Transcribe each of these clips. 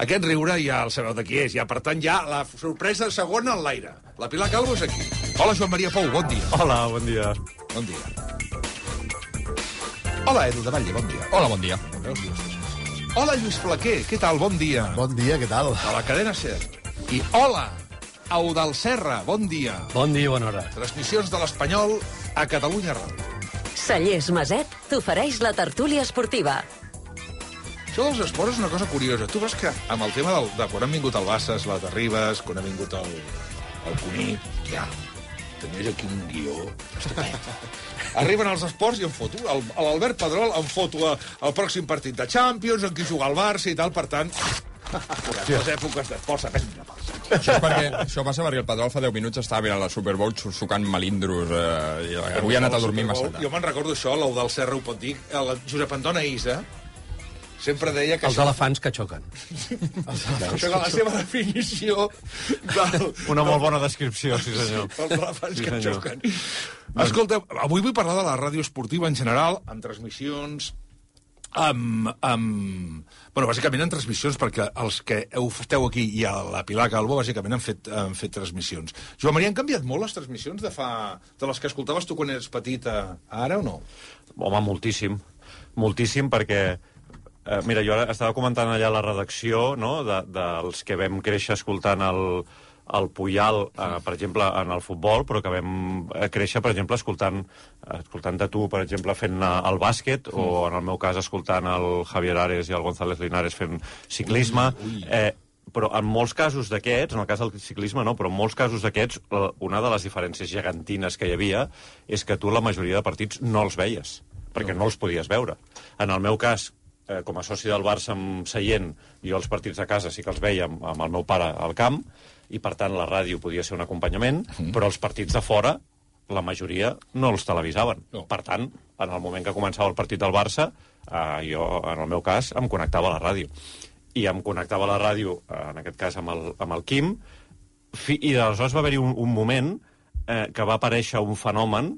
Aquest riure ja el sabeu de qui és. Ja, per tant, ja la sorpresa segona en l'aire. La Pilar Calvo és aquí. Hola, Joan Maria Pou, bon dia. Hola, bon dia. Bon dia. Hola, Edu de Batlle, bon dia. Hola, bon dia. Hola, Lluís Flaquer, què tal? Bon dia. Bon dia, què tal? De la cadena SER. I hola, Eudal Serra, bon dia. Bon dia, bona hora. Transmissions de l'Espanyol a Catalunya Ràdio. Cellers Maset t'ofereix la tertúlia esportiva. Això dels esports és una cosa curiosa. Tu veus que amb el tema de quan han vingut el Bassas, la Terribas, quan ha vingut el Cuní, ja, tenies aquí un guió estupend. Arriben els esports i em foto. L'Albert Pedrol em foto el pròxim partit de Champions, en qui juga el Barça i tal, per tant... Les èpoques d'esports s'aprenen a part. Això passa perquè el Pedrol fa 10 minuts estava mirant la Super Bowl sucant melindros i avui ha anat a dormir massa tard. Jo me'n recordo això, l'Eudal Serra ho pot dir, el Josep Antona Isa sempre deia que... Els elefants que xoquen. Això és la seva definició del... Una molt bona descripció, sí senyor. Els elefants que xoquen. Escolta, avui vull parlar de la ràdio esportiva en general, amb transmissions... Bueno, bàsicament en transmissions, perquè els que esteu aquí i a la Pilar Calvo, bàsicament han fet transmissions. Joan Maria, han canviat molt les transmissions de les que escoltaves tu quan eres petita ara o no? Home, moltíssim. Moltíssim, perquè... mira, jo ara estava comentant allà a la redacció, no?, dels que vam créixer escoltant el Puyal, per exemple, en el futbol, però que vam créixer, per exemple, escoltant de tu, per exemple, fent el bàsquet, o en el meu cas escoltant el Javier Ares i el González Linares fent ciclisme. Però en molts casos d'aquests, en el cas del ciclisme no, però en molts casos d'aquests, una de les diferències gegantines que hi havia és que tu la majoria de partits no els veies, perquè no els podies veure. En el meu cas, com a soci del Barça amb seient, jo els partits de casa sí que els veia amb el meu pare al camp, i per tant la ràdio podia ser un acompanyament, però els partits de fora, la majoria no els televisaven. No. Per tant, en el moment que començava el partit del Barça, jo, en el meu cas, em connectava a la ràdio. I em connectava a la ràdio, en aquest cas amb el Quim, i aleshores va haver-hi un moment que va aparèixer un fenomen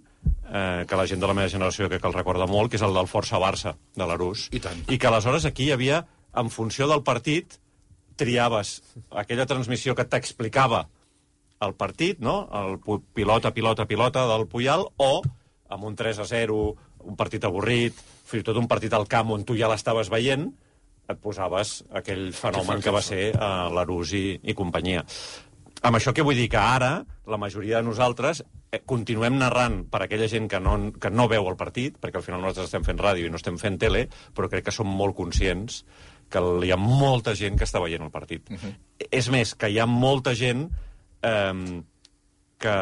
que la gent de la meva generació que el recorda molt, que és el del Força Barça, de l'Arús. I tant. I que aleshores aquí hi havia, en funció del partit, triaves aquella transmissió que t'explicava el partit, no?, el pilota del Puyal, o amb un 3-0, un partit avorrit, fins i tot un partit al camp on tu ja l'estaves veient, et posaves aquell fenomen que va ser l'Arús i companyia. Amb això què vull dir? Que ara la majoria de nosaltres continuem narrant per aquella gent que no veu el partit, perquè al final nosaltres estem fent ràdio i no estem fent tele, però crec que som molt conscients que hi ha molta gent que està veient el partit. És més, que hi ha molta gent que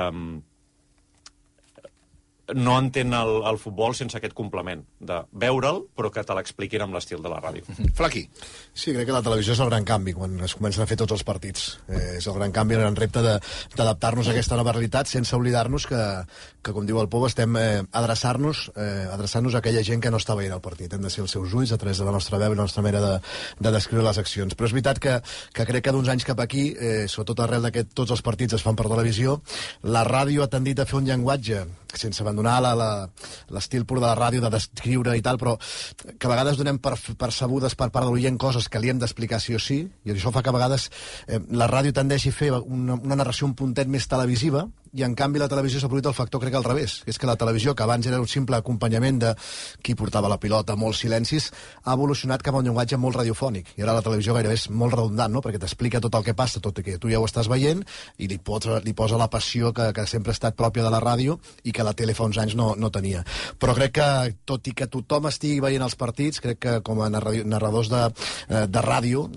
no entén el futbol sense aquest complement de veure'l, però que te l'expliquin amb l'estil de la ràdio. Flaqui. Sí, crec que la televisió és el gran canvi quan es comencen a fer tots els partits. És el gran canvi, el gran repte d'adaptar-nos a aquesta nova realitat sense oblidar-nos que com diu el Pou, estem adreçant-nos a aquella gent que no està veient el partit. Hem de ser els seus ulls a través de la nostra veu i la nostra manera de descriure les accions. Però és veritat que crec que d'uns anys cap aquí, sobretot arrel que tots els partits es fan per televisió, la ràdio ha tendit a fer un llenguatge sense abandonar l'estil pur de la ràdio, de descriure i tal, però que a vegades donem percebudes per part de l'oient coses que li hem d'explicar sí o sí, i això fa que a vegades la ràdio tendeixi a fer una narració un puntet més televisiva, i en canvi la televisió s'ha produït el factor, crec, al revés, que és que la televisió, que abans era un simple acompanyament de qui portava la pilota, molts silencis, ha evolucionat cap a un llenguatge molt radiofònic, i ara la televisió gairebé és molt redundant, no?, perquè t'explica tot el que passa, tot i que tu ja ho estàs veient, i li posa la passió que sempre ha estat pròpia de la ràdio i que la tele fa uns anys no tenia. Però crec que, tot i que tothom estigui veient els partits, crec que com a narradors de ràdio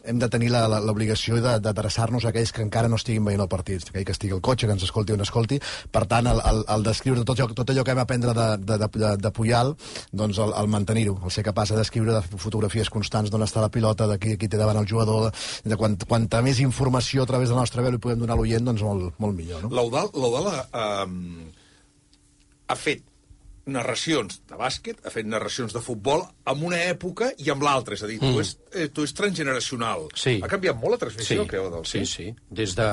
hem de tenir l'obligació d'adreçar-nos a aquells que encara no estiguin veient el partit, aquell que estigui al cotxe, que ens escolti o no escolti. Per tant, el descriure tot allò que vam aprendre de Puyal, doncs el mantenir-ho, el ser capaç de descriure de fotografies constants d'on està la pilota, de qui té davant el jugador, de quanta més informació a través de la nostra veu li podem donar a l'oient, doncs molt millor, no? L'Eudal ha fet narracions de bàsquet, ha fet narracions de futbol en una època i amb l'altra, és a dir, tu és transgeneracional. Sí. Ha canviat molt la transmissió, creu, del Sí. Des de...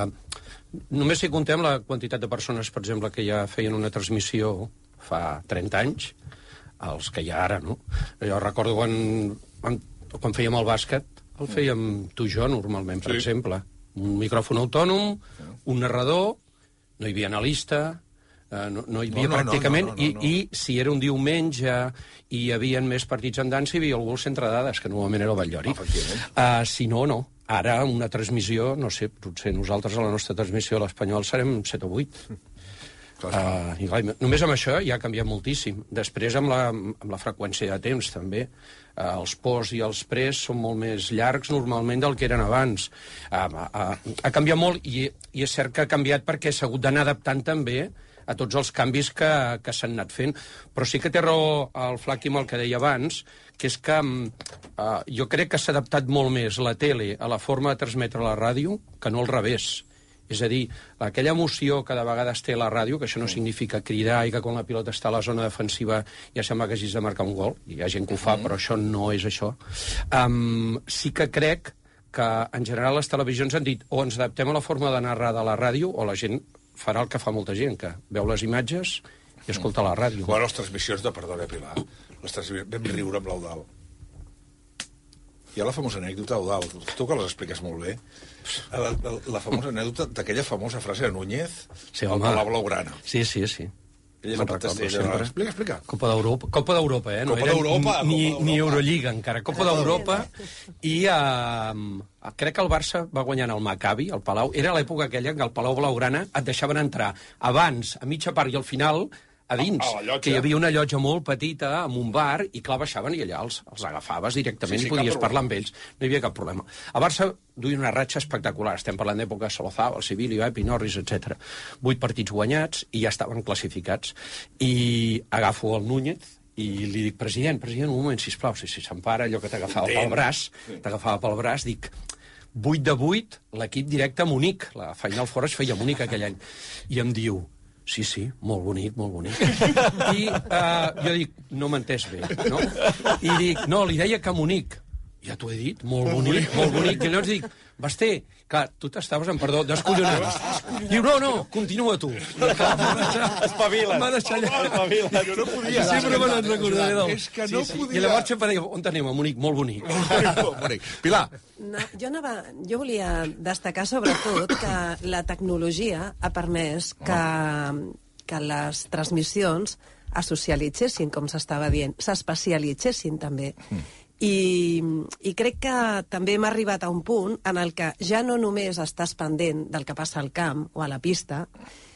Només si contem la quantitat de persones, per exemple, que ja feien una transmissió fa 30 anys, els que hi ha ara, no? Jo recordo quan fèiem el bàsquet, El fèiem tu i jo, normalment, per exemple. Un micròfon autònom, un narrador, no hi havia analista, no hi havia pràcticament, i si era un diumenge i hi havia més partits en dansa, hi havia algú al centre de dades, que normalment era el Batllori. Si no, no. Ara, una transmissió, no sé, potser nosaltres a la nostra transmissió a l'Espanyol serem 7 o 8. I clar, només amb això ja ha canviat moltíssim. Després amb la freqüència de temps també. Els posts i els pres són molt més llargs normalment del que eren abans. Ha canviat molt i és cert que ha canviat perquè s'ha hagut d'anar adaptant també a tots els canvis que s'han anat fent. Però sí que té raó el Flaqui amb el que deia abans, que és que jo crec que s'ha adaptat molt més la tele a la forma de transmetre la ràdio que no al revés. És a dir, aquella emoció que de vegades té la ràdio, que això no significa cridar i que quan la pilota està a la zona defensiva ja sembla que hagis de marcar un gol, hi ha gent que ho fa, però això no és això. Sí que crec que en general les televisions han dit o ens adaptem a la forma de narrar de la ràdio o la gent farà el que fa molta gent, que veu les imatges i escolta la ràdio. Bueno, les transmissions de Perdona, Pilar, vam riure amb l'Eudal. Hi ha la famosa anècdota, Eudal, tu que les expliques molt bé, la famosa anècdota d'aquella famosa frase de Núñez, home. a la blaugrana. Sí. Ella explica. Copa d'Europa, No Copa d'Europa. Ni Eurolliga encara. Copa d'Europa i crec que el Barça va guanyant el Maccabi, al Palau. Era l'època aquella que al Palau Blaugrana et deixaven entrar abans, a mitja part i al final a dins, que hi havia una llotja molt petita amb un bar i clar, baixaven i allà els agafaves directament i podies parlar amb ells. No hi havia cap problema. A Barça duia una ratxa espectacular. Estem parlant d'època Solozao, el Sibilio, Epi, Norris, etc. 8 partits guanyats i ja estaven classificats. I agafo el Núñez i li dic, president, un moment, sisplau, si s'empara, allò que t'agafava pel braç, dic, 8 de 8, l'equip directe a Munic. La Final Four es feia a Munic aquell any. I em diu, sí, molt bonic. I jo dic, no m'he entès bé, no? I dic, no, li deia que Munic. Ja t'ho he dit, molt bonic. I llavors dic, Basté, clar, tu t'estaves, descollonat. Diu, no, continua tu. Espavila. M'ha deixat allà. Jo no podia. Sempre me n'en recordaré del... És que no podia. I llavors sempre deia, on anem? A Munic, molt bonic. Pilar. No, jo volia destacar sobretot que la tecnologia ha permès que les transmissions es socialitzessin, com s'estava dient, s'especialitzessin també. I crec que també hem arribat a un punt en el que ja no només estàs pendent del que passa al camp o a la pista,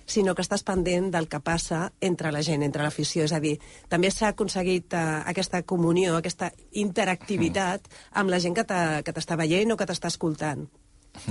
sinó que estàs pendent del que passa entre la gent, entre l'afició. És a dir, també s'ha aconseguit aquesta comunió, aquesta interactivitat amb la gent que t'està veient o que t'està escoltant.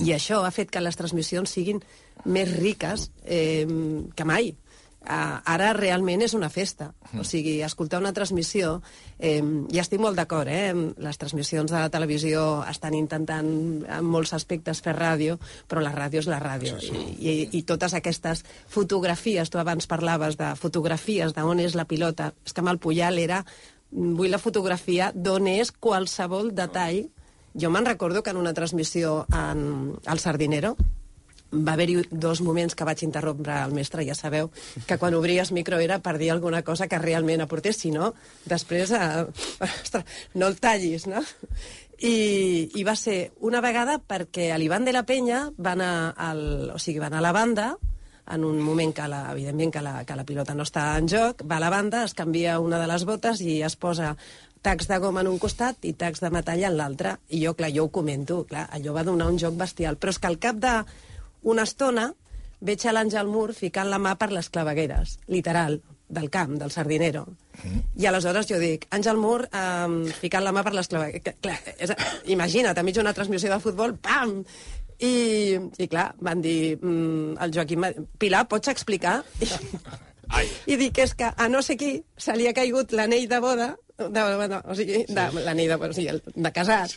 I això ha fet que les transmissions siguin més riques que mai. Ara realment és una festa. O sigui, escoltar una transmissió, ja estic molt d'acord, les transmissions de la televisió estan intentant en molts aspectes fer ràdio, però la ràdio és la ràdio. I totes aquestes fotografies, tu abans parlaves de fotografies d'on és la pilota, és que amb el Puyal era, vull la fotografia d'on és qualsevol detall. Jo me'n recordo que en una transmissió al Sardinero va haver-hi 2 moments que vaig interrompre el mestre, ja sabeu, que quan obries micro era per dir alguna cosa que realment aportés, si no, després no el tallis, no? I va ser una vegada perquè a l'Ivan de la Penya va anar a la banda, en un moment que, evidentment, que la pilota no està en joc, va a la banda, es canvia una de les botes i es posa tacs de goma en un costat i tacs de metall en l'altre. I jo ho comento, allò va donar un joc bestial. Però és que al cap d'una estona veig a l'Àngel Mur ficant la mà per les clavegueres, literal, del camp, del Sardinero. I aleshores jo dic, Àngel Mur ficant la mà per les clavegueres. Imagina't, enmig d'una transmissió de futbol, pam! I clar, van dir, el Joaquim, Pilar, pots explicar? I dic, és que a no sé qui se li ha caigut l'anell de boda, l'anell de casat,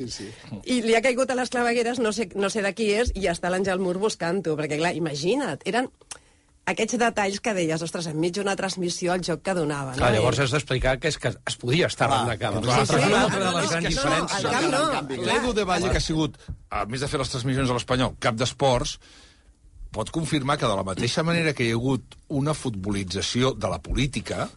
i li ha caigut a les clavegueres, no sé de qui és, i està l'Àngel Mur buscant-ho, perquè clar, imagina't, eren aquests detalls que deies, ostres, enmig d'una transmissió el joc que donava. Clar, llavors has d'explicar que és que es podia estar arran de camp. Sí, una altra de les grans diferències. L'Edu de Valle, que ha sigut, a més de fer les transmissions a l'Espanyol, cap d'esports, pot confirmar que de la mateixa manera que hi ha hagut una futbolització de la política,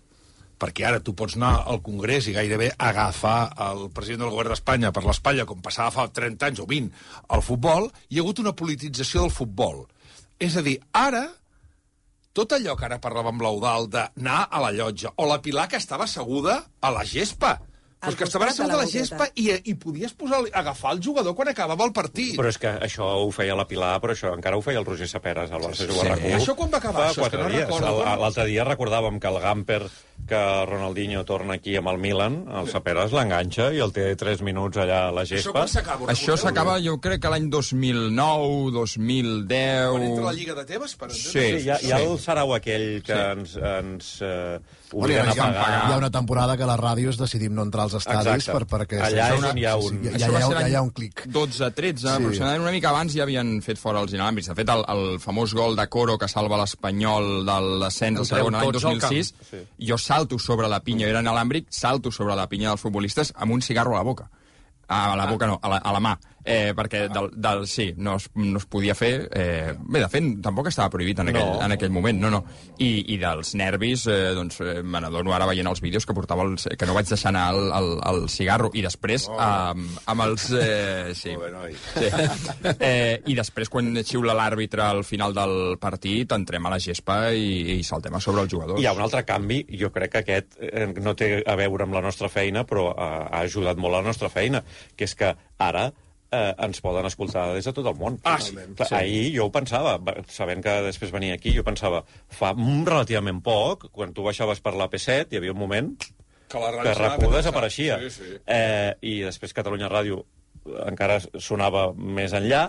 perquè ara tu pots anar al Congrés i gairebé agafar el president del govern d'Espanya per l'espatlla, com passava fa 30 anys o 20, al futbol, hi ha hagut una politització del futbol. És a dir, ara, tot allò que ara parlàvem l'Eudald d'anar a la llotja, o la Pilar que estava asseguda a la gespa, però és que estava asseguda a la gespa i podies agafar el jugador quan acabava el partit. Però és que això ho feia la Pilar, però això encara ho feia el Roger Saperas al Barça Jugar RAC1. Això quan va acabar? Això és que no recordo. L'altre dia recordàvem que el Gamper, que Ronaldinho torna aquí amb el Milan, el Saperas l'enganxa i el té 3 minuts allà a la gespa. Això s'acaba, jo crec que l'any 2009, 2010... Quan entra la Lliga de Tebes, per entendre? Sí, hi ha el sarau aquell que ens obliguen a pagar. Hi ha una temporada que les ràdios decidim no entrar als estadis perquè allà és on hi ha un... hi ha un clic. 12-13, aproximadament una mica abans ja havien fet fora els inalàmbrics. De fet, el famós gol de Coro que salva l'Espanyol de l'ascens a segona l'any 2006, jo salto sobre la pinya, era inalàmbric, salto sobre la pinya dels futbolistes amb un cigarro a la boca. A la boca no, a la mà. Perquè sí, no es podia fer. Bé, de fet, tampoc estava prohibit en aquell moment, no. I dels nervis, doncs, me n'adono ara veient els vídeos que portava que no vaig deixar anar el cigarro. I després, amb els... Sí. I després, quan xiula l'àrbitre al final del partit, entrem a la gespa i saltem a sobre els jugadors. Hi ha un altre canvi, jo crec que aquest no té a veure amb la nostra feina, però ha ajudat molt a la nostra feina, que és que ara ens poden escoltar des de tot el món. Sí. Ahir jo ho pensava, sabent que després venia aquí, jo pensava, fa relativament poc, quan tu baixaves per la P7, hi havia un moment que RAC1 desapareixia. Sí. I després Catalunya Ràdio encara sonava més enllà,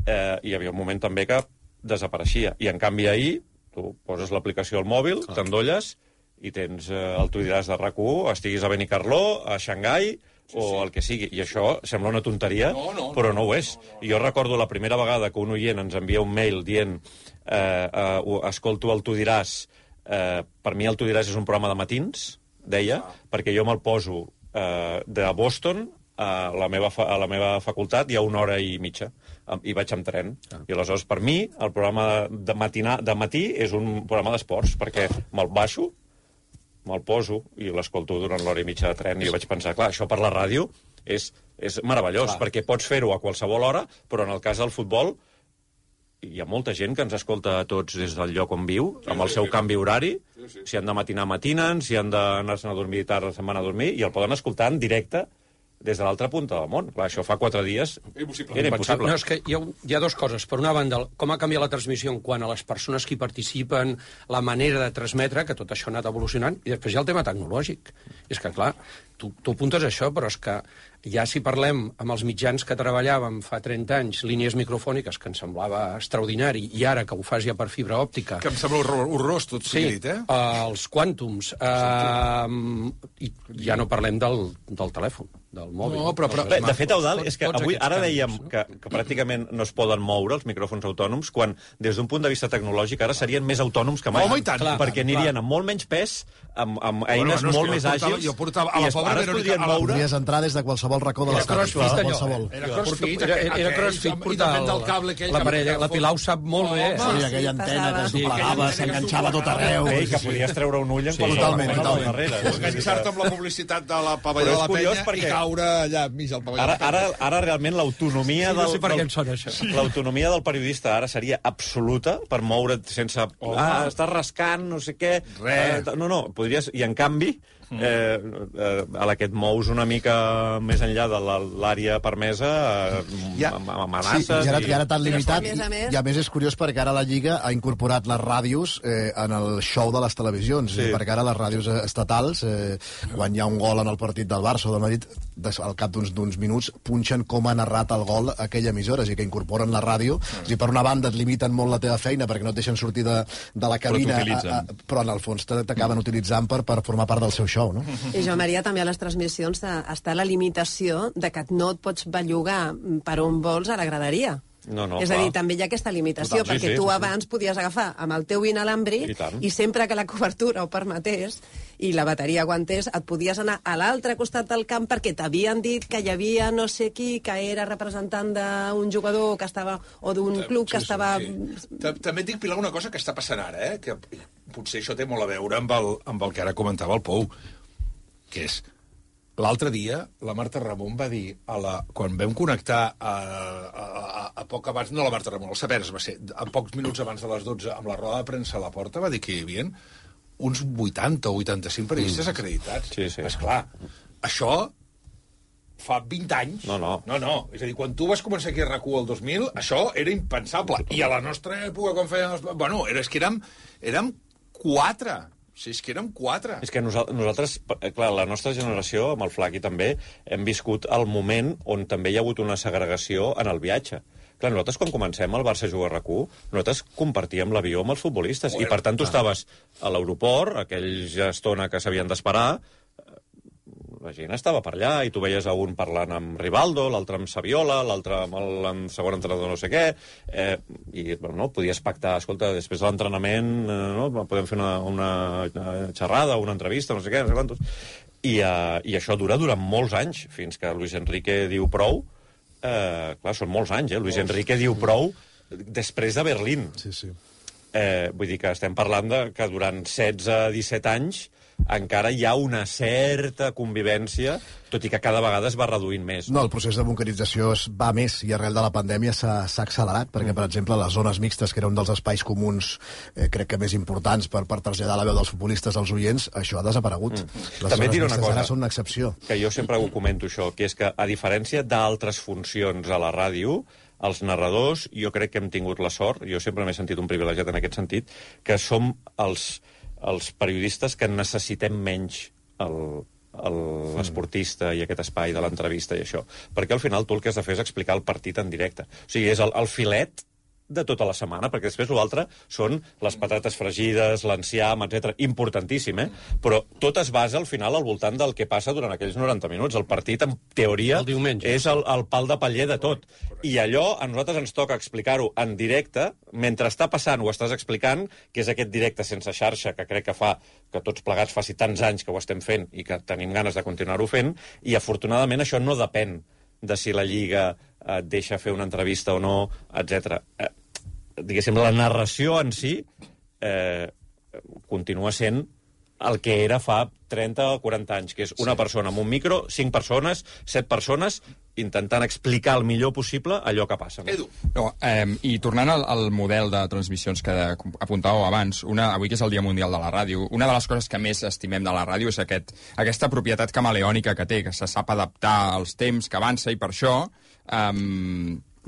i hi havia un moment també que desapareixia. I en canvi ahir, tu poses l'aplicació al mòbil, t'endolles, i tens el Tu diràs de RAC1, estiguis a Benicarló, a Xangai, o el que sigui. I això sembla una tonteria, però no ho és. Jo recordo la primera vegada que un oient ens envia un mail dient escolto el Tu diràs, per mi el Tu diràs és un programa de matins, deia, perquè jo me'l poso de Boston a la meva facultat hi ha 1 hora i mitja, i vaig amb tren. I aleshores, per mi, el programa de matí és un programa d'esports, perquè me'l baixo, me'l poso i l'escolto durant l'hora i mitja de tren i jo vaig pensar, clar, això per la ràdio és meravellós, perquè pots fer-ho a qualsevol hora, però en el cas del futbol hi ha molta gent que ens escolta a tots des del lloc on viu, amb el seu canvi horari, si han de matinar, matinen, si han d'anar-se'n a dormir tard, se'n van a dormir, i el poden escoltar en directe des de l'altra punta del món. Clar, això fa 4 dies era impossible. No, és que hi ha 2 coses. Per una banda, com ha canviat la transmissió en quant a les persones que hi participen, la manera de transmetre, que tot això ha anat evolucionant, i després hi ha el tema tecnològic. És que, clar, tu apuntes això, però és que ja si parlem amb els mitjans que treballàvem fa 30 anys, línies microfòniques, que ens semblava extraordinari, i ara que ho fas ja per fibra òptica... Que em sembla horrorós, tot sigui dit, els quàntums, i ja no parlem del telèfon, del mòbil. No, però de fet, Eudald, és que avui, ara dèiem que pràcticament no es poden moure els micròfons autònoms, quan des d'un punt de vista tecnològic ara serien més autònoms que mai. Home, i tant, perquè anirien amb molt menys pes, amb eines molt més àgils, jo portava a la pobra Verònica... Podries entrar des de qualsevol racó de l'estat. Era crossfit, era crossfit portar l'aparell. La Pilar ho sap molt bé. Sí, aquella antena que es doblegava, s'enganxava tot arreu. Que podies treure un ull en qualsevol moment al darrere. Enganxar-te amb la publicitat de la pavelló de la penya i caure allà enmig del pavelló de la penya. Ara realment l'autonomia no sé per què em sona això. L'autonomia del periodista ara seria absoluta per moure't sense... estàs rascant, no sé què... No, podries... I en canvi... a la que et mous una mica més enllà de l'àrea permesa amb amenaces... Sí, i ara tan limitat, i a més és curiós perquè ara la Lliga ha incorporat les ràdios en el show de les televisions, perquè ara les ràdios estatals, quan hi ha un gol en el partit del Barça o del Madrid, al cap d'uns minuts punxen com ha narrat el gol aquella emissora, és a dir, que incorporen la ràdio, és a dir, per una banda et limiten molt la teva feina perquè no et deixen sortir de la cabina, però en el fons t'acaben utilitzant per formar part del seu show. No? I Joan Maria, també a les transmissions està la limitació de que no et pots bellugar per on vols a la graderia. No, és a dir, també hi ha aquesta limitació, perquè tu abans podies agafar amb el teu inalàmbric i sempre que la cobertura ho permetés i la bateria aguantés, et podies anar a l'altre costat del camp perquè t'havien dit que hi havia no sé qui que era representant d'un jugador que estava, o d'un club que estava... També et dic, Pilar, una cosa que està passant ara, que potser això té molt a veure amb el que ara comentava el Pou, que és... L'altre dia, la Marta Ramon va dir, quan vam connectar a poc abans, no la Marta Ramon, el Sapers va ser, a pocs minuts abans de les 12, amb la roda de premsa a la porta, va dir que hi havia uns 80 o 85 periodistes acreditats. Sí. Esclar, això fa 20 anys. No. És a dir, quan tu vas començar aquí a RAC1 el 2000, això era impensable. I a la nostra època, quan fèiem... Bueno, és que érem 4. Sí, és que érem 4. És que nosaltres, clar, la nostra generació, amb el Flaqui també, hem viscut el moment on també hi ha hagut una segregació en el viatge. Clar, nosaltres quan comencem al Barça jugar a RAC1, nosaltres compartíem l'avió amb els futbolistes, i per tant tu estaves a l'aeroport, aquella estona que s'havien d'esperar, la gent estava per allà, i tu veies a un parlant amb Rivaldo, l'altre amb Saviola, l'altre amb el segon entrenador no sé què, i bueno, podies pactar, escolta, després de l'entrenament podem fer una xerrada, una entrevista, no sé què, no sé quantos. I això dura durant molts anys, fins que Luis Enrique diu prou. Clar, són molts anys, Luis Enrique diu prou després de Berlín. Sí. Vull dir que estem parlant que durant 16-17 anys encara hi ha una certa convivència, tot i que cada vegada es va reduint més. No, el procés de bunquerització va més, i arrel de la pandèmia s'ha accelerat, perquè, per exemple, les zones mixtes, que era un dels espais comuns, crec que més importants per traslladar la veu dels futbolistes als oients, això ha desaparegut. Les També diré una cosa, ara són una excepció. Que jo sempre ho comento, això, que és que, a diferència d'altres funcions a la ràdio, els narradors, jo crec que hem tingut la sort, jo sempre m'he sentit un privilegiat en aquest sentit, que som els periodistes que necessitem menys l'esportista i aquest espai de l'entrevista i això. Perquè al final tu el que has de fer és explicar el partit en directe. O sigui, és el filet de tota la setmana, perquè després l'altre són les patates fregides, l'enciam, etc. Importantíssim, Però tot es basa al final al voltant del que passa durant aquells 90 minuts. El partit, en teoria, és el pal de paller de tot. I allò a nosaltres ens toca explicar-ho en directe, mentre està passant ho estàs explicant, que és aquest directe sense xarxa, que crec que fa que tots plegats faci tants anys que ho estem fent i que tenim ganes de continuar-ho fent, i afortunadament això no depèn de si la Lliga et deixa fer una entrevista o no, etc. Diguéssim, la narració en si continua sent el que era fa 30 o 40 anys, que és una persona amb un micro, 5 persones, 7 persones, intentant explicar el millor possible allò que passa. Edu. No, I tornant al model de transmissions que apuntàveu abans, avui que és el Dia Mundial de la Ràdio, una de les coses que més estimem de la ràdio és aquesta propietat camaleònica que té, que se sap adaptar als temps, que avança, i per això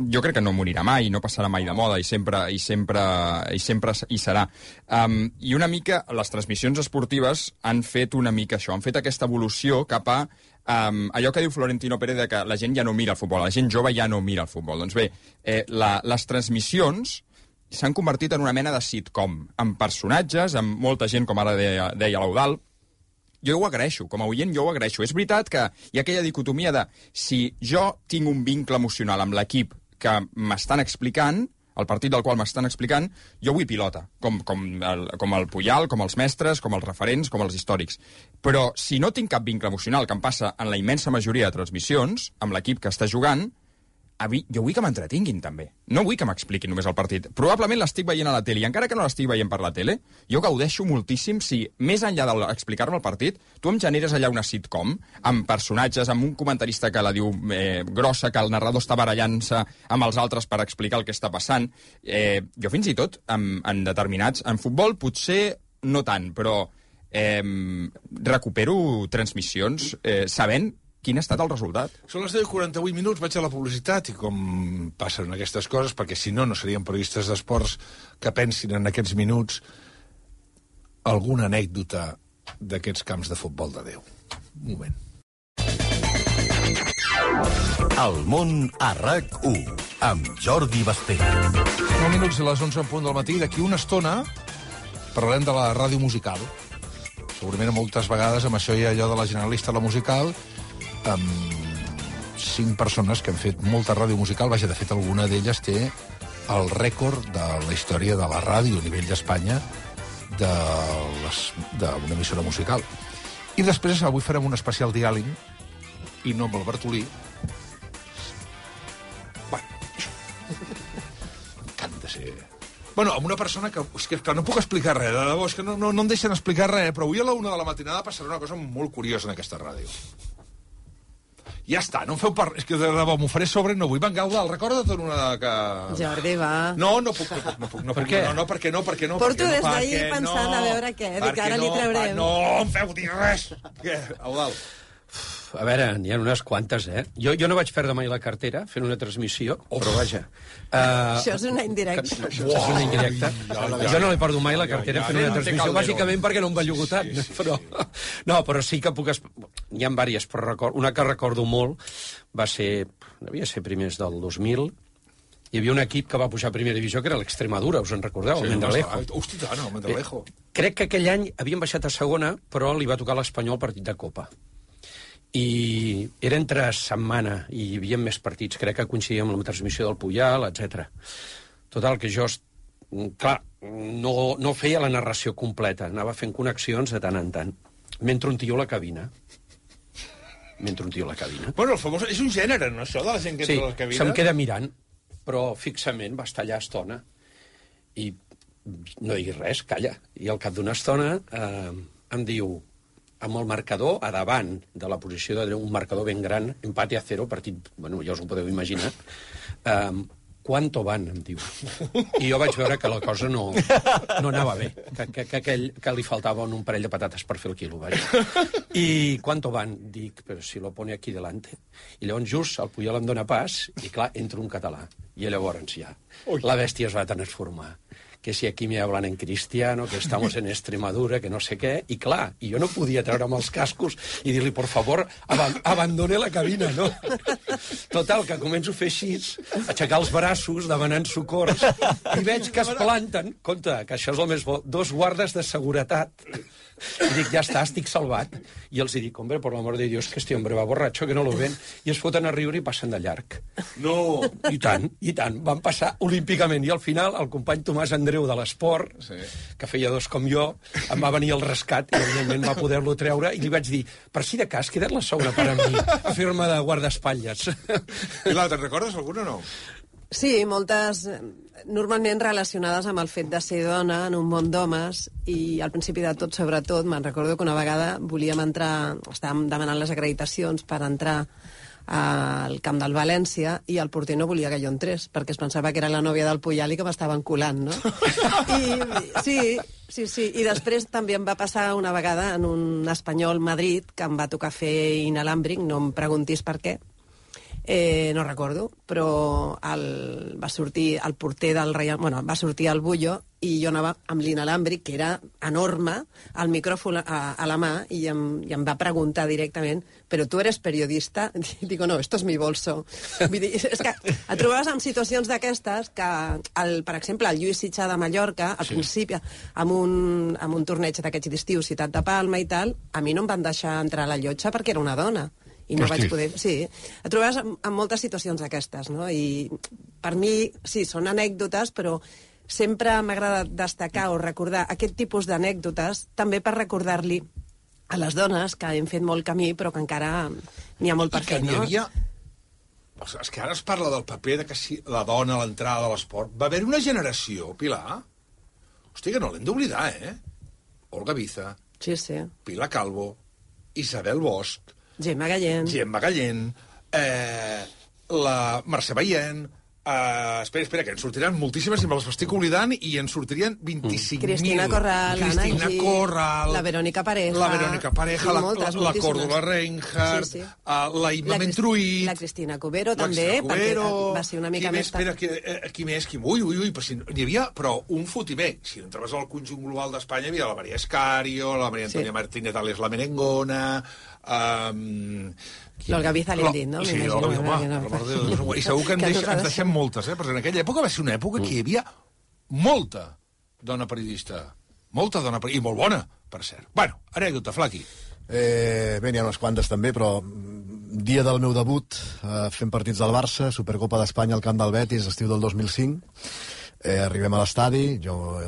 jo crec que no morirà mai, no passarà mai de moda, i sempre hi serà. I una mica, les transmissions esportives han fet una mica això, han fet aquesta evolució cap a allò que diu Florentino Pérez, de que la gent ja no mira el futbol, la gent jove ja no mira el futbol. Doncs bé, les transmissions s'han convertit en una mena de sitcom, amb personatges, amb molta gent, com ara deia l'Eudald. Jo ho agraeixo, com a oient jo ho agraeixo. És veritat que hi ha aquella dicotomia de si jo tinc un vincle emocional amb l'equip que m'estan explicant, el partit del qual m'estan explicant, jo vull pilota, com el Puyal, com els mestres, com els referents, com els històrics. Però si no tinc cap vincle emocional, que em passa en la immensa majoria de transmissions, amb l'equip que està jugant, jo vull que m'entretinguin, també. No vull que m'expliquin només el partit. Probablement l'estic veient a la tele, i encara que no l'estic veient per la tele, jo gaudeixo moltíssim si, més enllà d'explicar-me el partit, tu em generes allà una sitcom, amb personatges, amb un comentarista que la diu grossa, que el narrador està barallant-se amb els altres per explicar el que està passant. Jo fins i tot, en determinats... En futbol potser no tant, però recupero transmissions sabent quin ha estat el resultat. Són les 10:48 minuts, vaig a la publicitat, i com passen aquestes coses, perquè si no, no serien periodistes d'esports que pensin en aquests minuts alguna anècdota d'aquests camps de futbol de Déu. Un moment. El món a RAC1, amb Jordi Basté. 9 minuts a les 11 en punt del matí. D'aquí una estona parlarem de la ràdio musical. Segurament moltes vegades amb això hi ha allò de la generalista, la musical, amb 5 persones que han fet molta ràdio musical. Vaja, de fet, alguna d'elles té el rècord de la història de la ràdio a nivell d'Espanya d'una emissora musical. I després, avui farem un especial diàleg, i no amb el Bartolí. Bueno, m'encanta ser Bueno, amb una persona que... És que no puc explicar res, de debò, és que no em deixen explicar res, però avui a la 1 de la matinada passarà una cosa molt curiosa en aquesta ràdio. Ja està, no em feu És que de debò m'ho faré sobre, no vull. Van, Gaudal, recorda't una que... Jordi, va. No puc. Per què? No, perquè no. Porto des d'ahir pensant a veure què, dic, ara li traurem. No em feu dir res. Què, Gaudal? A veure, n'hi ha unes quantes, eh? Jo no vaig perdre mai la cartera fent una transmissió, però vaja. Això és una indirecta. Això és una indirecta. Jo no l'he perdut mai la cartera fent una transmissió, bàsicament perquè no em bellugo tant. Però sí que puc... N'hi ha diverses, però una que recordo molt va ser... Devia ser primers del 2000. Hi havia un equip que va pujar a primera divisió, que era l'Extremadura, us en recordeu? El Mendelejo. Hosti, tant, el Mendelejo. Crec que aquell any havien baixat a segona, però li va tocar l'Espanyol partit de Copa. I era entre setmana i hi havia més partits, crec que coincidia amb la transmissió del Puyal, etc. Total, que jo, clar, no feia la narració completa, anava fent connexions de tant en tant. Mentre un tio a la cabina. Bueno, el famós... És un gènere, no, això, de la gent que entra a la cabina? Sí, se'm queda mirant, però fixament va estar allà estona. I no diguis res, calla. I al cap d'una estona em diu... amb el marcador a davant de la posició d'un marcador ben gran, empate a 0, partit, bueno, ja us ho podeu imaginar, ¿cuánto van? Em diu. I jo vaig veure que la cosa no anava bé, que li faltaven un parell de patates per fer el quilo, vaja. I ¿cuánto van? Dic, però si lo pone aquí delante. I llavors just el Puyol em dóna pas, i clar, entra un català. I llavors ja, la bèstia es va transformar. Que si aquí me hablan en cristiano, que estamos en Extremadura, que no sé què, i clar, i jo no podia treure'm els cascos i dir-li, por favor, abandone la cabina, no? Total, que començo a fer així, aixecar els braços, demanant socors, i veig que es planten, compte, que això és el més bo, 2 guardes de seguretat. I dic, ja està, estic salvat. I els dic, hombre, por l'amor de Dios, que este hombre va borratxo, que no lo ven. I es foten a riure i passen de llarg. No! I tant. Van passar olímpicament. I al final, el company Tomàs Andreu de l'Esport, que feia 2 com jo, em va venir al rescat i, evidentment, va poder-lo treure. I li vaig dir, per si de cas, queda't la segona per a mi, a fer-me de guardaespatlles. I l'altre, recordes alguna o no? Sí, moltes normalment relacionades amb el fet de ser dona en un món d'homes, i al principi de tot, sobretot, me'n recordo que una vegada volíem entrar, estàvem demanant les acreditacions per entrar al camp del València, i el porter no volia que jo entrés, perquè es pensava que era la nòvia del Puyal i que m'estaven colant, no? Sí. I després també em va passar una vegada en un Espanyol Madrid, que em va tocar fer inalàmbric, no em preguntis per què. No recordo, però va sortir el porter del Real... Bueno, va sortir el Bullo i jo anava amb l'inalàmbric, que era enorme, el micròfon a la mà, i em va preguntar directament, però tu eres periodista? I digo, no, esto es mi bolso. Vull dir, és que et trobaves en situacions d'aquestes que, per exemple, el Lluís Sitjà de Mallorca, al principi, amb un torneig d'aquests d'estiu, Ciutat de Palma i tal, a mi no em van deixar entrar a la llotja perquè era una dona. I no vaig poder... Sí, et trobes en moltes situacions d'aquestes, no? I per mi, sí, són anècdotes, però sempre m'agrada destacar o recordar aquest tipus d'anècdotes, també per recordar-li a les dones que hem fet molt camí, però que encara n'hi ha molt per fer, no? És que ara es parla del paper de que si la dona a l'entrada de l'esport... Va haver una generació, Pilar... Hosti, que no l'hem d'oblidar, eh? Olga Biza, sí. Pilar Calvo, Isabel Bosch... Gemma Gallén, la Mercè Baient, espera, que en sortiran moltíssimes i me les estic oblidant, i en sortirien 25.000. Cristina Corral, Ana Gil, la Verónica Pareja, la Córdoba Reinhardt, la Imma Mentruït, la Cristina Cubero també, perquè va ser una mica més... Qui més? Ui, però si n'hi havia, però un fotimer. Si entraves al conjunt global d'Espanya hi havia la Maria Escario, la Maria Antònia Martínez Ales, la Merengona... L'Olga Biza li hem dit, no? Sí, i segur que ens deixem moltes, perquè en aquella època va ser una època que hi havia molta dona periodista, i molt bona, per cert. Bueno, anècdota, Flaqui. Bé, n'hi ha unes quantes també, però dia del meu debut fent partits del Barça, Supercopa d'Espanya al camp del Betis, estiu del 2005. Arribem a l'estadi, jo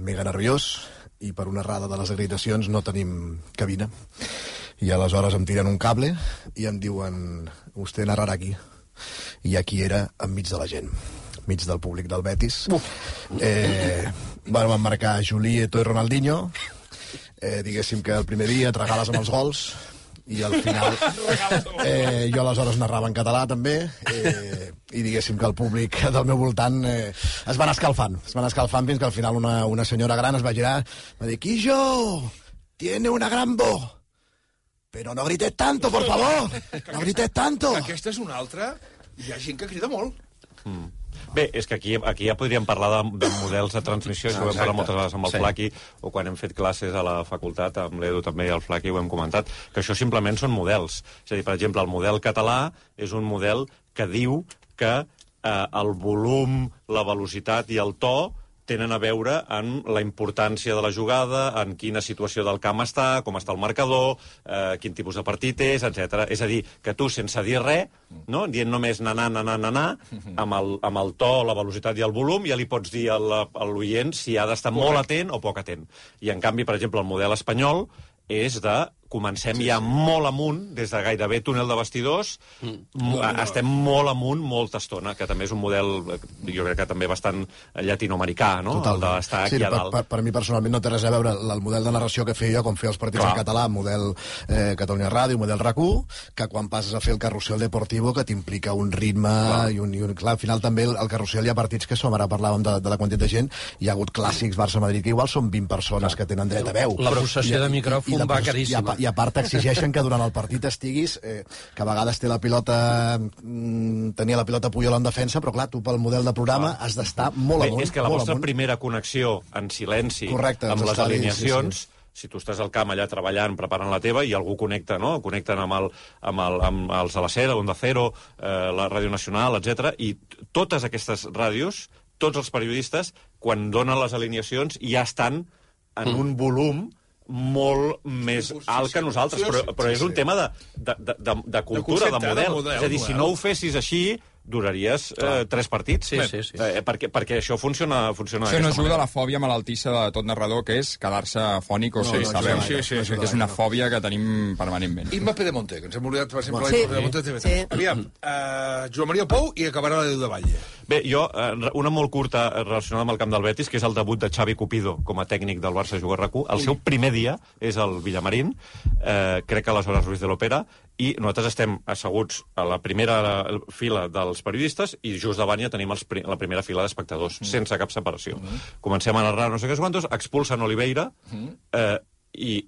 mega nerviós, i per una errada de les acreditacions no tenim cabina. I aleshores em tiren un cable i em diuen, usted narrarà aquí. I aquí era enmig de la gent. mig del públic del Betis. Van marcar Juli, Eto'o i Ronaldinho. Diguéssim que el primer dia et regales amb els gols, i al final jo aleshores narrava en català també, i diguéssim que el públic del meu voltant es van escalfant fins que al final una senyora gran es va girar, va dir: Quillo, tiene una gran voz, pero no grites tanto, por favor, no grites tanto. Aquesta és una altra. Hi ha gent que crida molt. Bé, és que aquí ja podríem parlar de models de transmissió, això ho hem parlat moltes vegades amb el Flaqui, o quan hem fet classes a la facultat, amb l'Edu també i el Flaqui ho hem comentat, que això simplement són models. És a dir, per exemple, el model català és un model que diu que el volum, la velocitat i el to tenen a veure amb la importància de la jugada, en quina situació del camp està, com està el marcador, quin tipus de partit és, etc. És a dir, que tu, sense dir res, no? Dient només nanar, amb el to, la velocitat i el volum, ja li pots dir a l'oient si ha d'estar molt atent o poc atent. I, en canvi, per exemple, el model espanyol és de comencem ja molt amunt, des de gairebé túnel de vestidors, estem molt amunt molta estona, que també és un model, jo crec que també bastant llatinoamericà, no? Totalment. El d'estar aquí a dalt. Per mi personalment no té res a veure el model de narració que feia jo quan feia els partits en català, model Catalunya Ràdio, model RAC1, que quan passes a fer el carrusel deportivo, que t'implica un ritme i un... Clar, al final també el carrusel hi ha partits que som, ara parlàvem de la quantitat de gent, hi ha hagut clàssics Barça-Madrid, que igual són 20 persones que tenen dret a veu. La possessió de micròfon va caríssima. I a part t'exigeixen que durant el partit estiguis, que a vegades tenia la pilota Puyol en defensa, però clar, tu pel model de programa has d'estar molt amunt. És que la vostra primera connexió en silenci amb les alineacions, si tu estàs al camp allà treballant, preparant la teva, i algú connecta, no? Connecten amb els de la Sera, Onda Cero, la Ràdio Nacional, etc. I totes aquestes ràdios, tots els periodistes, quan donen les alineacions, ja estan en un volum molt més alt que nosaltres, però és un tema de cultura, de model. És a dir, si no ho fessis així, duraries 3 partits. Sí. Perquè això funciona això no ajuda a la fòbia malaltissa de tot narrador, que és quedar-se afònic o sense veu. És una fòbia que tenim permanentment. Imma Pedemonte, que ens hem oblidat, per exemple, la Pedemonte de TV3. Aviam, Joan Maria Pou i acabarà l'Edu de Valle. Bé, jo, una molt curta relacionada amb el camp del Betis, que és el debut de Xavi Cupido com a tècnic del Barça Juga RAC1. El seu primer dia és al Villamarín, crec que aleshores Ruiz de l'Opera, i nosaltres estem asseguts a la primera fila dels periodistes i just davant ja tenim la primera fila d'espectadors, sense cap separació. Comencem a narrar no sé què quantos, expulsen Oliveira, i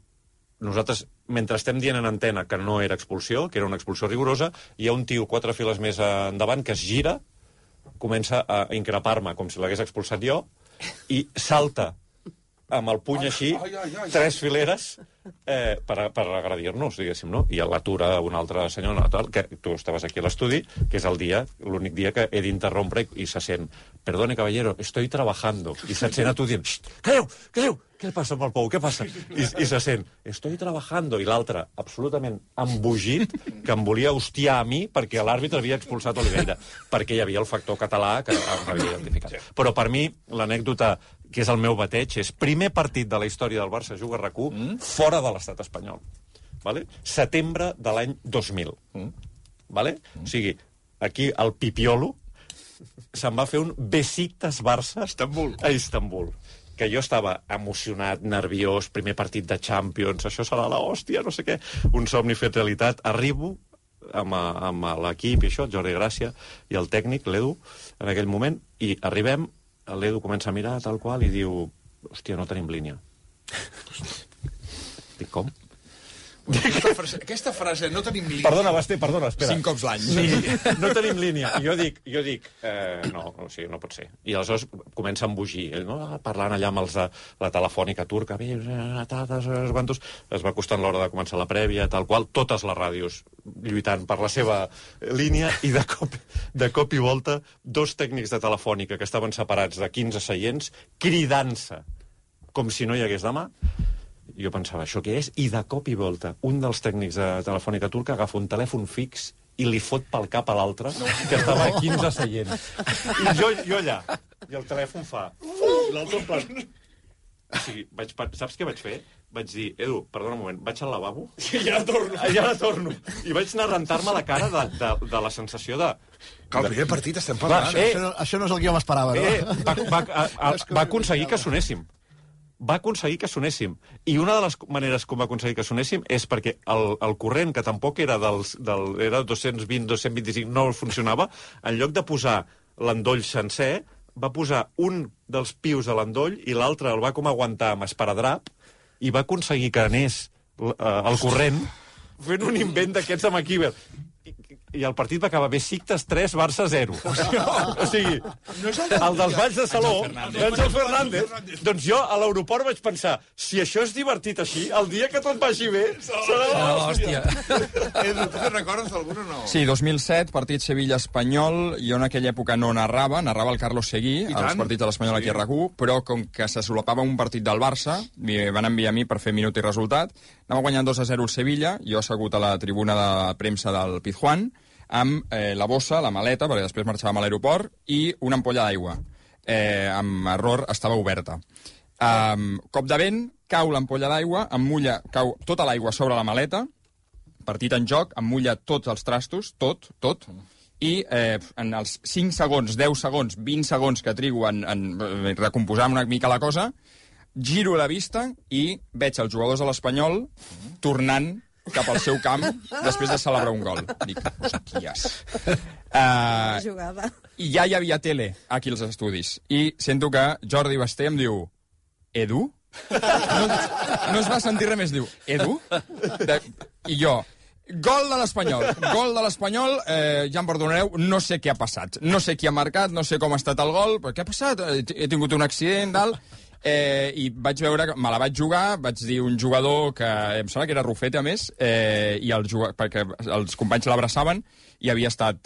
nosaltres, mentre estem dient en antena que no era expulsió, que era una expulsió rigorosa, hi ha un tio 4 files més endavant que es gira, comença a increpar-me com si l'hagués expulsat jo, i salta amb el puny així, 3 fileres, per agredir-nos, diguéssim, no? I l'atura un altre senyor, que tu estaves aquí a l'estudi, que és l'únic dia que he d'interrompre i se sent: perdone, caballero, estoy trabajando. I se't sent a tu dient: calleu! Què passa amb el Pou? Què passa? I se sent: estoy trabajando. I l'altre, absolutament embogit, que em volia hostiar a mi perquè l'àrbitre havia expulsat Oliveira, perquè hi havia el factor català que m'havia identificat. Però per mi, l'anècdota que és el meu bateig, és primer partit de la història del Barça Juga RAC1 fora de l'estat espanyol. Vale? Setembre de l'any 2000. Vale? O sigui, aquí el Pipiolo se'n va fer un Besiktas Barça a Istanbul. Que jo estava emocionat, nerviós, primer partit de Champions, això serà l'hòstia, no sé què, un somni fet realitat. Arribo amb l'equip i això, el Jordi Gràcia i el tècnic, l'Edu, en aquell moment, i arribem, l'Edu comença a mirar tal qual i diu: hòstia, no tenim línia. Dic, com? Aquesta frase, no tenim línia... Perdona, Basté, espera. 5 cops l'any. Sí, no tenim línia. I jo dic, no, o sigui, no pot ser. I aleshores comença a embogir, no? Parlant allà amb els de la telefònica turca, es va costant l'hora de començar la prèvia, tal qual, totes les ràdios lluitant per la seva línia, i de cop i volta 2 tècnics de telefònica que estaven separats de 15 seients, cridant-se com si no hi hagués demà. Jo pensava, això què és? I de cop i volta, un dels tècnics de telefònica turca agafa un telèfon fix i li fot pel cap a l'altre, que estava a 15 seients. I jo allà, i el telèfon fa... I l'altre en plan... O sigui, saps què vaig fer? vaig dir, Edu, perdona un moment, vaig al lavabo? I ja torno. Ja la torno. I vaig anar a rentar-me la cara de la sensació de... Que el primer partit estem parlant. Això no és el que jo m'esperava, no? Va aconseguir que sonéssim. Va aconseguir que sonéssim. I una de les maneres com va aconseguir que sonéssim és perquè el corrent, que tampoc era era 220, 225, no funcionava, en lloc de posar l'endoll sencer, va posar un dels pius de l'endoll i l'altre el va com aguantar amb esparadrap i va aconseguir que anés el corrent fent un invent d'aquests de MacGyver. I el partit va acabar Besiktas 3, Barça 0. O sigui, el dels balls de Saló, Àngel Fernández. Doncs jo a l'aeroport vaig pensar, si això és divertit així, el dia que tot vagi bé, serà l'hòstia. Edu, tu te'n recordes d'algun o no? Sí, 2007, partit Sevilla-Espanyol. Jo en aquella època no narrava el Carlos Seguí, als partits de l'Espanyol aquí a RAC1, però com que se solapava un partit del Barça, m'hi van enviar a mi per fer minut i resultat. Anava guanyant 2-0 el Sevilla, jo assegut a la tribuna de premsa del Pizjuán, amb la bossa, la maleta, perquè després marxàvem a l'aeroport, i una ampolla d'aigua. Amb error estava oberta. Cop de vent, cau l'ampolla d'aigua, cau tota l'aigua sobre la maleta, partit en joc, emmulla tots els trastos, tot, i en els 5 segons, 10 segons, 20 segons que trigo en recomposar una mica la cosa, giro la vista i veig els jugadors de l'Espanyol tornant cap al seu camp després de celebrar un gol. Dic, hòsties. I ja hi havia tele aquí als estudis. I sento que Jordi Basté em diu, Edu? No es va sentir res més, diu, Edu? I jo, gol de l'Espanyol, ja em perdonareu, no sé què ha passat. No sé qui ha marcat, no sé com ha estat el gol, però què ha passat? He tingut un accident, tal... I vaig veure que me la vaig jugar, vaig dir un jugador que em sembla que era Rufete, a més, perquè els companys l'abraçaven i havia estat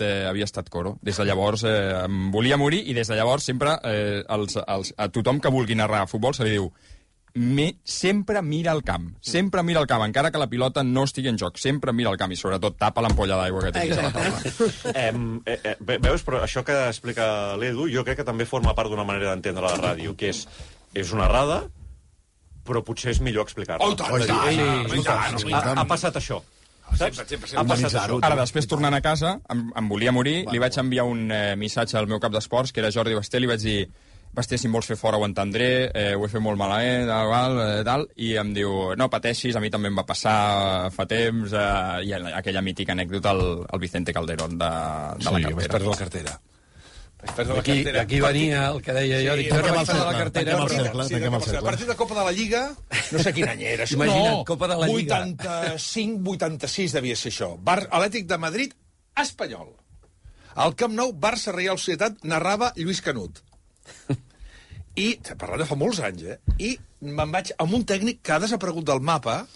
coro. Des de llavors em volia morir i des de llavors sempre a tothom que vulgui narrar futbol se li diu sempre mira el camp, encara que la pilota no estigui en joc, sempre mira el camp i sobretot tapa l'ampolla d'aigua que tens a la taula. Veus, però això que explica l'Edu jo crec que també forma part d'una manera d'entendre la ràdio, que és una errada, però potser és millor explicar-la. Ha passat això. Ha passat això. Ara, després, tornant a casa, em volia morir, li vaig enviar un missatge al meu cap d'esports, que era Jordi Basté, li vaig dir, Basté, si em vols fer fora ho entendré, ho he fet molt malament, tal, i em diu, no pateixis, a mi també em va passar fa temps, i aquella mítica anècdota al Vicente Calderón de la cartera. Vaig perdre la cartera. Aquí venia el que deia jo, dic, tanquem el cercle. cercle. Partit de Copa de la Lliga, no sé quin any era. Imagina't, Copa de la Lliga. 85-86 devia ser això. Atlètic de Madrid, Espanyol. Al Camp Nou, Barça Reial Societat, narrava Lluís Canut. I, parlant de fa molts anys, i me'n vaig amb un tècnic que ha desaparegut del mapa.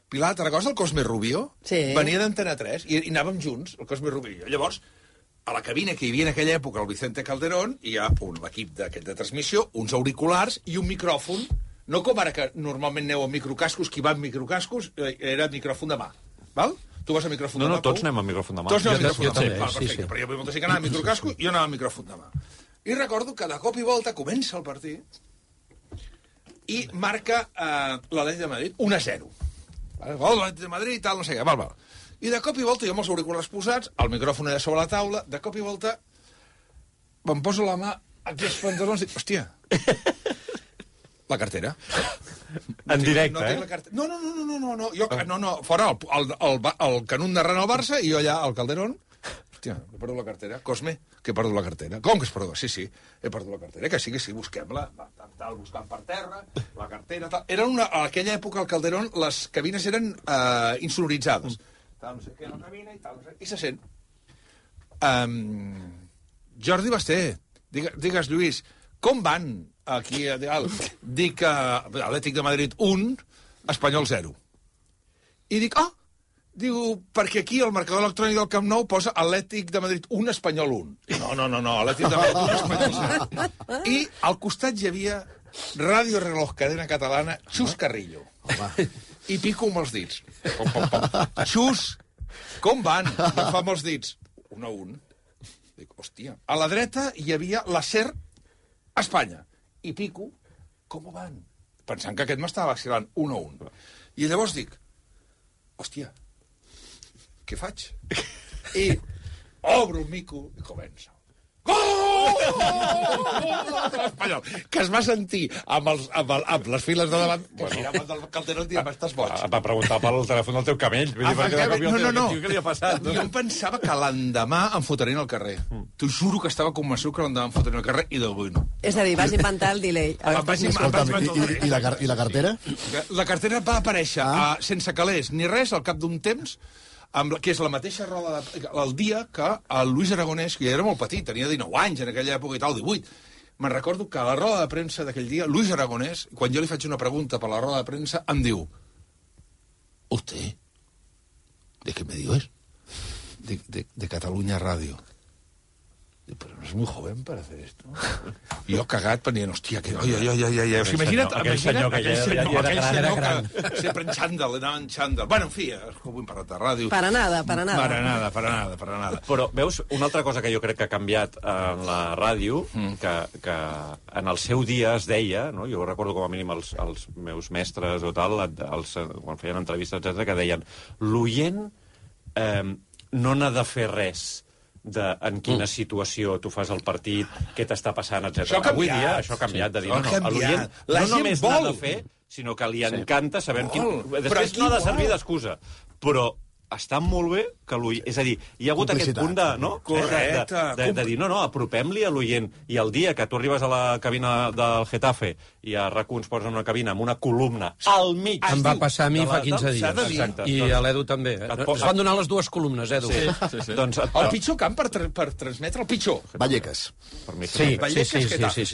Pilar, te'n recordes el Cosme Rubio? Sí. Venia d'Antena 3 i anàvem junts, el Cosme Rubio. Llavors, a la cabina que hi havia en aquella època, el Vicente Calderón, hi ha l'equip de transmissió, uns auriculars i un micròfon, no com ara que normalment aneu amb microcascos, qui va amb microcascos era micròfon de mà, val? Tu vas a micròfon de mà? No, tots anem amb micròfon de mà. Tots anem amb micròfon de mà, també, perfecte, però hi havia molta gent que anava amb microcasco i jo anava amb micròfon de mà. I recordo que de cop i volta comença el partit i marca l'Atlètic de Madrid 1-0. Gol l'Atlètic de Madrid i tal, no sé què, val. I de cop i volta, jo amb els auriculars posats, el micròfon era sobre la taula, de cop i volta em poso la mà aquí als pantalons i dic, hòstia, la cartera. En directe, No, fora el Canut narrant el Barça i jo allà al Calderón. Hòstia, he perdut la cartera. Cosme, que he perdut la cartera. Com que has perdut? Sí, he perdut la cartera. Que sí, busquem-la. Buscant per terra, la cartera, tal. A aquella època, al Calderón, les cabines eren insonoritzades. Tal, no sé què, la cabina i tal, no sé, i se sent. Jordi Basté, digues, Lluís, com van aquí a dalt? Dic Atlètic de Madrid 1, Espanyol 0. I dic, diu, perquè aquí el marcador electrònic del Camp Nou posa Atlètic de Madrid 1, Espanyol 1. No, Atlètic de Madrid 1, Espanyol 0. I al costat hi havia Ràdio Reloj, cadena catalana, Xus Carrillo. I pico amb els dits. Xus, com van? I em fa amb els dits. 1-1. Dic, hòstia. A la dreta hi havia la SER Espanya. I pico, com van? pensant que aquest m'estava vacilant 1-1. I llavors dic, hòstia, què faig? I obro el mico i comença. Gol! L'Espanyol, que es va sentir amb les files de davant, que miraven del Calderón i dient, estàs boig. Va preguntar pel telèfon del teu camell. Vull dir, No. Què li ha passat? Jo em pensava que l'endemà em fotrien al carrer. T'ho juro que estava convençut que l'endemà em fotrien al carrer i d'avui no. És a dir, vas inventar el delay. Escolta'm, i la cartera? La cartera va aparèixer sense calés ni res al cap d'un temps, que és la mateixa roda el dia que el Luis Aragonès, que ja era molt petit, tenia 19 anys en aquella època i tal, 18. Me'n recordo que a la roda de premsa d'aquell dia, Luis Aragonès, quan jo li faig una pregunta per la roda de premsa, em diu: ¿Usted? ¿De qué medio es? De Cataluña Radio. Pero no es muy joven para hacer esto. I jo cagat pensant, hòstia, que... Ai. O sigui, imagina't aquell senyor que ja era gran. Sempre en xandall, anava en xandall. Bueno, en fi, vull parlar de ràdio. Para nada. Para nada. Però, veus, una altra cosa que jo crec que ha canviat en la ràdio, que en el seu dia es deia, no? Jo recordo com a mínim els meus mestres o tal, quan feien entrevistes, etc, que deien, l'oient no n'ha de fer res en quina situació tu fas el partit, què t'està passant, etc. Avui dia això ha canviat, de dir, l'oient no només n'ha de fer, sinó que li encanta saber quin... Després no ha de servir d'excusa, però està molt bé que l'oient... És a dir, hi ha hagut aquest punt de... No? Correcte. De dir, no, apropem-li a l'oient. I el dia que tu arribes a la cabina del Getafe i a RAC1 ens posen una cabina amb una columna al mig... Em va passar a mi fa 15 dies. Exacte. I a l'Edu també. Es van donar les dues columnes, Edu. Sí. Doncs, el pitjor camp per transmetre el pitjor. Vallecas. Sí.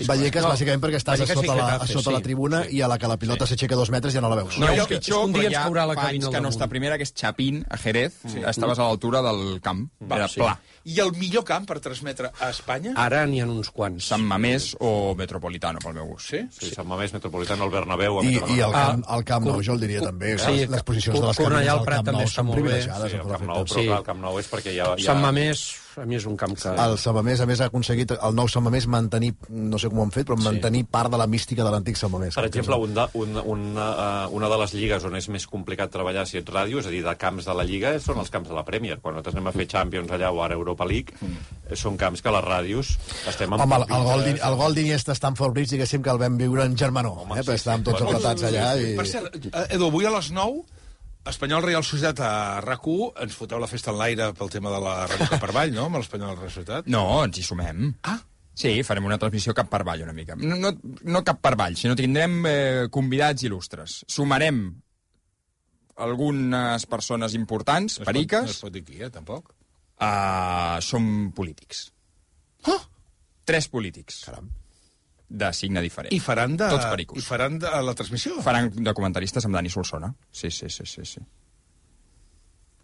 Vallecas, bàsicament perquè estàs a sota la tribuna i a la que la pilota s'aixeca 2 metres ja no la veus. No, és pitjor, però hi ha anys que no està primera, que és Chapín, a Jerez. Estaves a l'altura del camp. Era pla. I el millor camp per transmetre a Espanya? Ara n'hi ha uns quants. Sant Mamés o Metropolitano, pel meu gust. Sí, Sant Mamés, Metropolitano, el Bernabéu... I el Camp Nou, jo el diria també. Les posicions de les cabines del Camp Nou són privilegiades. El Camp Nou és perquè hi ha... Sant Mamés, a mi és un camp que... El Sant Mamés, a més, ha aconseguit, el nou Sant Mamés, mantenir, no sé com ho han fet, però mantenir part de la mística de l'antic Sant Mamés. Per exemple, una de les lligues on és més complicat treballar si ets ràdio, és a dir, de camps de la Lliga, són els camps de la Premier. Quan nosaltres anem a fer Champions allà o ara Europa League, són camps que les ràdios estem... Home, el gol d'Iniesta a Stamford Bridge, diguéssim que el vam viure en germanor, perquè estàvem tots apretats allà. Per cert, Edu, avui a les 9, Espanyol Real Societat a RAC1, ens foteu la festa en l'aire pel tema de la Ràdio Cap per Avall, no?, amb l'Espanyol Real Societat. No, ens hi sumem. Sí, farem una transmissió cap per avall una mica. No cap per avall, sinó tindrem convidats il·lustres. Sumarem algunes persones importants, periques... No es pot dir qui, tampoc? Som polítics. 3 polítics. Caram. De signe diferent. I faran de... Tots pericos. I faran de la transmissió? Faran de comentaristes amb Dani Solsona. Sí.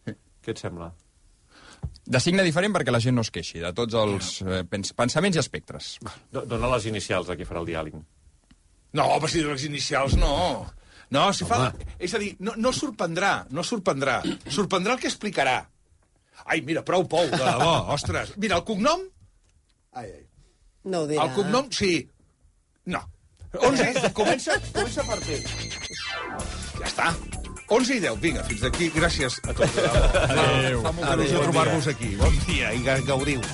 Què et sembla? De signe diferent perquè la gent no es queixi de tots els pensaments i espectres. Dóna les inicials de qui farà el diàleg. No, però si les inicials no. No, si fa... És a dir, no sorprendrà. Sorprendrà el que explicarà. Ai, mira, prou pou, de debò, ostres. Mira, el cognom... No ho dirà. El cognom, sí. No. 11, comença per T. Ja està. 11 i 10, vinga, fins d'aquí. Gràcies a tots. Adéu. Fa molta il·lusió trobar-vos aquí. Bon dia i gaudiu.